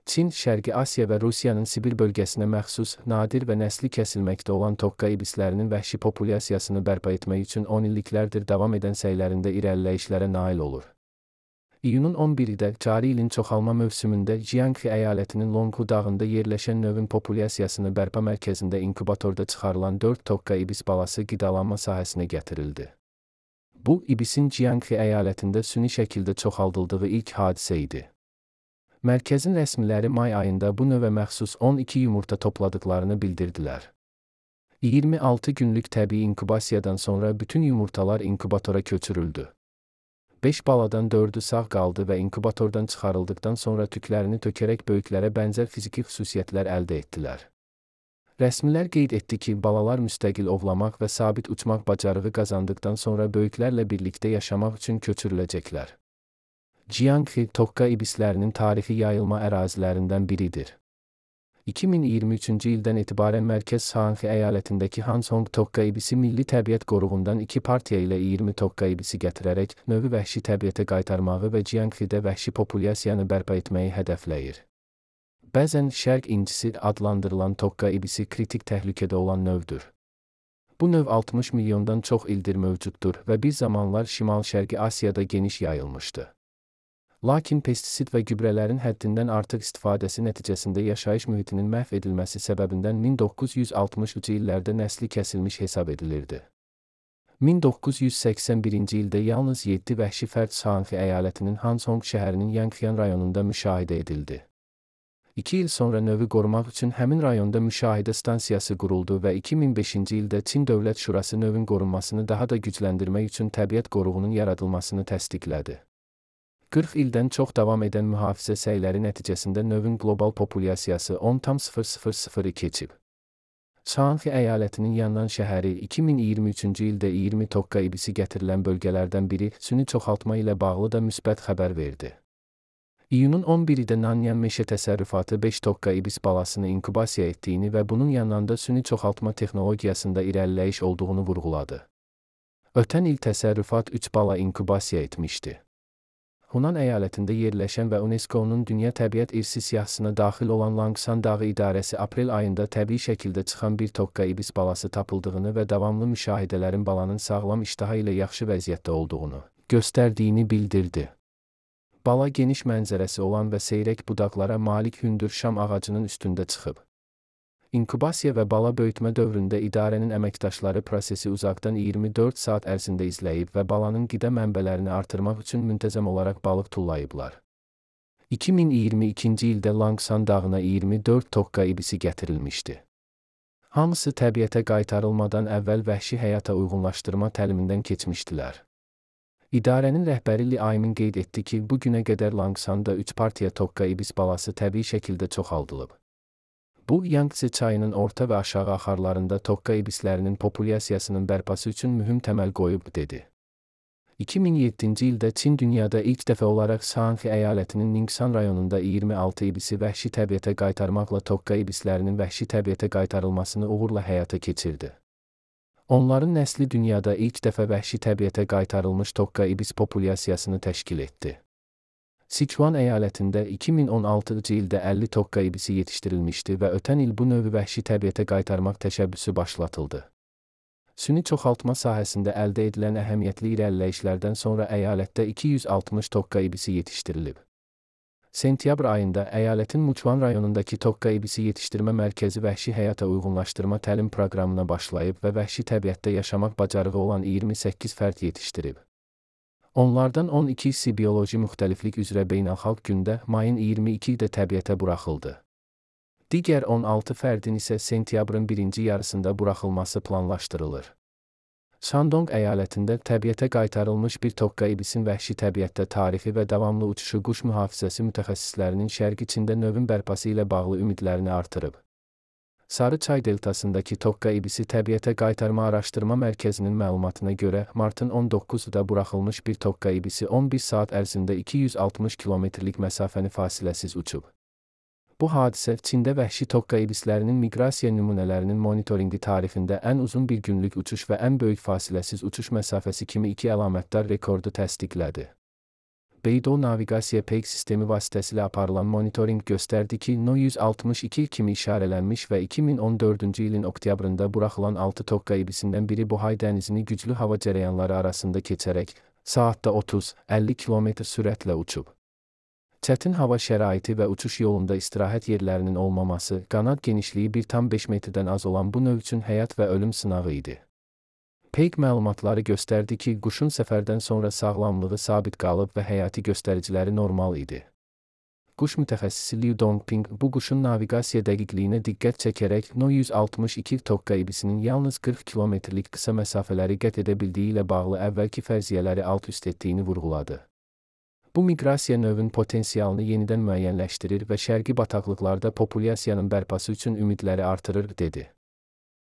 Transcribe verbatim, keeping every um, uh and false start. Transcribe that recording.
Çin, Şərqi Asiya və Rusiyanın Sibir bölgəsinə məxsus, nadir və nəsli kəsilməkdə olan tokka ibislərinin vəhşi populyasiyasını bərpa etmək üçün on illiklərdir davam edən səylərində irəliləyişlərə nail olur. İyunun on biridə, cari ilin çoxalma mövsümündə Jiangxi əyalətinin Longhu dağında yerləşən növün populyasiyasını bərpa mərkəzində inkubatorda çıxarılan dörd tokka ibis balası qidalanma sahəsinə gətirildi. Bu, ibisin Jiangxi əyalətində süni şəkildə çoxaldıldığı ilk hadisə idi. Mərkəzin rəsmiləri may ayında bu növə məxsus on iki yumurta topladıqlarını bildirdilər. iyirmi altı günlük təbii inkubasiyadan sonra bütün yumurtalar inkubatora köçürüldü. beş baladan dördü sağ qaldı və inkubatordan çıxarıldıqdan sonra tüklərini tökərək böyüklərə bənzər fiziki xüsusiyyətlər əldə etdilər. Rəsmilər qeyd etdi ki, balalar müstəqil ovlamaq və sabit uçmaq bacarığı qazandıqdan sonra böyüklərlə birlikdə yaşamaq üçün köçürüləcəklər. Jiangxi, tokka ibislərinin tarixi yayılma ərazilərindən biridir. iki min iyirmi üçüncü ildən etibarən Mərkəz Shaanxi əyalətindəki Hanzhong tokka ibisi Milli Təbiət Qoruğundan iki partiya ilə iyirmi tokka ibisi gətirərək, növü vəhşi təbiətə qaytarmağı və Jiangxidə vəhşi populyasiyanı bərpa etməyi hədəfləyir. Bəzən Şərq incisi adlandırılan tokka ibisi kritik təhlükədə olan növdür. Bu növ altmış milyondan çox ildir mövcuddur və bir zamanlar Şimal-Şərqi Asiyada geniş yayılmışdı. Lakin pestisid və gübrələrin həddindən artıq istifadəsi nəticəsində yaşayış mühitinin məhv edilməsi səbəbindən min doqquz yüz altmışıncı illərdə nəsli kəsilmiş hesab edilirdi. min doqquz yüz səksən birinci ildə yalnız yeddi vəhşi fərd Shaanxi əyalətinin Hanzhong şəhərinin Yangxian rayonunda müşahidə edildi. İki il sonra növü qorumaq üçün həmin rayonda müşahidə stansiyası quruldu və iki min beşinci ildə Çin Dövlət Şurası növün qorunmasını daha da gücləndirmək üçün təbiət qoruğunun yaradılmasını təsdiqlədi. qırx ildən çox davam edən mühafizə səyləri nəticəsində növün qlobal populyasiyası on tam sıfır sıfır sıfırı keçib. Shaanxi əyalətinin Yannan şəhəri iki min iyirmi üçüncü ildə iyirmi tokka ibisi gətirilən bölgələrdən biri süni çoxaltma ilə bağlı da müsbət xəbər verdi. İyunun on biridə Nanyan Meşə Təsərrüfatı beş tokka ibis balasını inkubasiya etdiyini və bunun yanında süni çoxaltma texnologiyasında irəliləyiş olduğunu vurğuladı. Ötən il təsərrüfat üç bala inkubasiya etmişdi. Hunan əyalətində yerləşən və UNESCO-nun Dünya Təbiət İrsi siyahısına daxil olan Langsan Dağı İdarəsi aprel ayında təbii şəkildə çıxan bir tokka ibis balası tapıldığını və davamlı müşahidələrin balanın sağlam iştaha ilə yaxşı vəziyyətdə olduğunu göstərdiyini bildirdi. Bala geniş mənzərəsi olan və seyrək budaqlara malik hündür şam ağacının üstündə çıxıb. İnkubasiya və bala böyütmə dövründə idarənin əməkdaşları prosesi uzaqdan iyirmi dörd saat ərzində izləyib və balanın qida mənbələrini artırmaq üçün müntəzəm olaraq balıq tullayıblar. iki min iyirmi ikinci ildə Langsan dağına iyirmi dörd tokka ibisi gətirilmişdi. Hamısı təbiətə qaytarılmadan əvvəl vəhşi həyata uyğunlaşdırma təlimindən keçmişdilər. İdarənin rəhbəri Li Aymin qeyd etdi ki, bu günə qədər Langsanda üç partiya tokka ibis balası təbii şəkildə çoxaldılıb. Bu, Yangtze çayının orta və aşağı axarlarında tokka ibislərinin populyasiyasının bərpası üçün mühüm təməl qoyub, dedi. iki min yeddinci ildə Çin dünyada ilk dəfə olaraq Shaanxi əyalətinin Ningxan rayonunda iyirmi altı ibisi vəhşi təbiətə qaytarmaqla tokka ibislərinin vəhşi təbiətə qaytarılmasını uğurla həyata keçirdi. Onların nəsli dünyada ilk dəfə vəhşi təbiətə qaytarılmış tokka ibis populyasiyasını təşkil etdi. Sichuan əyalətində iki min on altıncı ildə əlli tokka ibisi yetişdirilmişdi və ötən il bu növü vəhşi təbiətə qaytarmaq təşəbbüsü başlatıldı. Süni çoxaltma sahəsində əldə edilən əhəmiyyətli irəliləyişlərdən sonra əyalətdə iki yüz altmış tokka ibisi yetişdirilib. Sentyabr ayında əyalətin Muchuan rayonundakı tokka ibisi yetişdirmə mərkəzi vəhşi həyata uyğunlaşdırma təlim proqramına başlayıb və vəhşi təbiətdə yaşamaq bacarığı olan iyirmi səkkiz fərd yetişdirib. Onlardan on ikisi bioloji müxtəliflik üzrə beynəlxalq gündə mayın iyirmi ikidə təbiətə buraxıldı. Digər on altı fərdin isə sentyabrın birinci yarısında buraxılması planlaşdırılır. Shandong əyalətində təbiətə qaytarılmış bir tokka ibisin vəhşi təbiətdə tarixi və davamlı uçuşu quş mühafizəsi mütəxəssislərinin Şərq içində növün bərpası ilə bağlı ümidlərini artırıb. Sarı çay deltasındakı tokka ibisi təbiətə qaytarma araşdırma mərkəzinin məlumatına görə, martın on doqquzunda buraxılmış bir tokka ibisi on bir saat ərzində iki yüz altmış kilometrlik məsafəni fasiləsiz uçub. Bu hadisə Çində vəhşi tokka ibislərinin miqrasiya nümunələrinin monitorinqi tarixində ən uzun bir günlük uçuş və ən böyük fasiləsiz uçuş məsafəsi kimi iki əlamətdar rekordu təsdiqlədi. Beidou naviqasiya peyk sistemi vasitəsilə aparılan monitorinq göstərdi ki, No yüz altmış iki kimi işarələnmiş və iki min on dördüncü ilin oktyabrında buraxılan altı tokka ibisindən biri Bohai dənizini güclü hava cərəyanları arasında keçərək, saatda otuz əlli kilometr sürətlə uçub. Çətin hava şəraiti və uçuş yolunda istirahət yerlərinin olmaması, qanad genişliyi bir tam beş metrdən az olan bu növ üçün həyat və ölüm sınağı idi. Peyk məlumatları göstərdi ki, quşun səfərdən sonra sağlamlığı sabit qalıb və həyati göstəriciləri normal idi. Quş mütəxəssisi Liu Dongping bu quşun naviqasiya dəqiqliyinə diqqət çəkərək No yüz altmış iki tokka ibisinin yalnız qırx kilometrlik qısa məsafələri qət edə bildiyi ilə bağlı əvvəlki fərziyyələri alt-üst etdiyini vurğuladı. Bu miqrasiya növün potensialını yenidən müəyyənləşdirir və şərqi bataqlıqlarda populyasiyanın bərpası üçün ümidləri artırır, dedi.